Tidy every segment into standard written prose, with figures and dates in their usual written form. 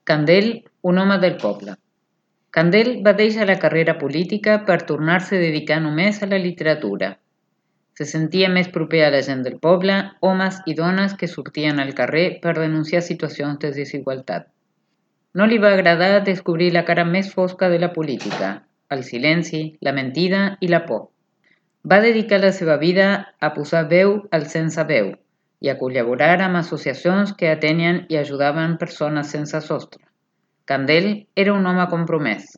Candel, un home del poble. Candel va deixar la carrera política per tornar-se a dedicar només a la literatura. Se sentia més proper a la gent del poble, homes i dones que sortien al carrer per denunciar situacions de desigualtat. No li va agradar descobrir la cara més fosca de la política, el silenci, la mentida i la por. Va dedicar la seva vida a posar veu al sense veu i a col·laborar amb associacions que atenien i ajudaven persones sense sostre. Candel era un home compromès.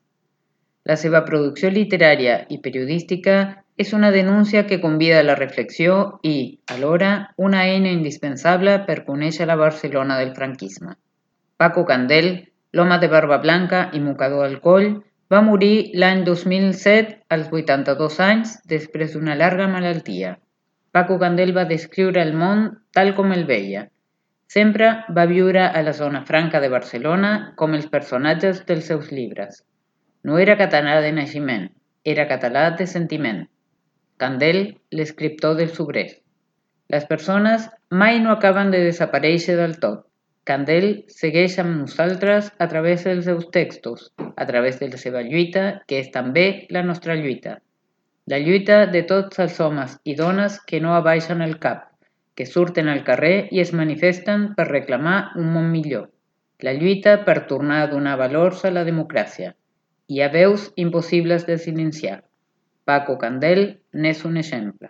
La seva producció literària i periodística és una denúncia que convida a la reflexió i, alhora, una eina indispensable per conèixer la Barcelona del franquisme. Paco Candel, l'home de barba blanca i mocador al coll, va morir l'any 2007 als 82 anys després d'una llarga malaltia. Paco Candel va descriure el món tal com el veia. Sempre va viure a la zona franca de Barcelona com els personatges dels seus llibres. No era català de naixement, era català de sentiment. Candel, l'escriptor dels obrers. Les persones mai no acaben de desaparèixer del tot. Candel segueix amb nosaltres a través dels seus textos, a través de la seva lluita, que és també la nostra lluita. La lluita de tots els homes i dones que no abaixen el cap, que surten al carrer i es manifesten per reclamar un món millor. La lluita per tornar a donar valors a la democràcia. Hi ha veus impossibles de silenciar. Paco Candel n'és un exemple.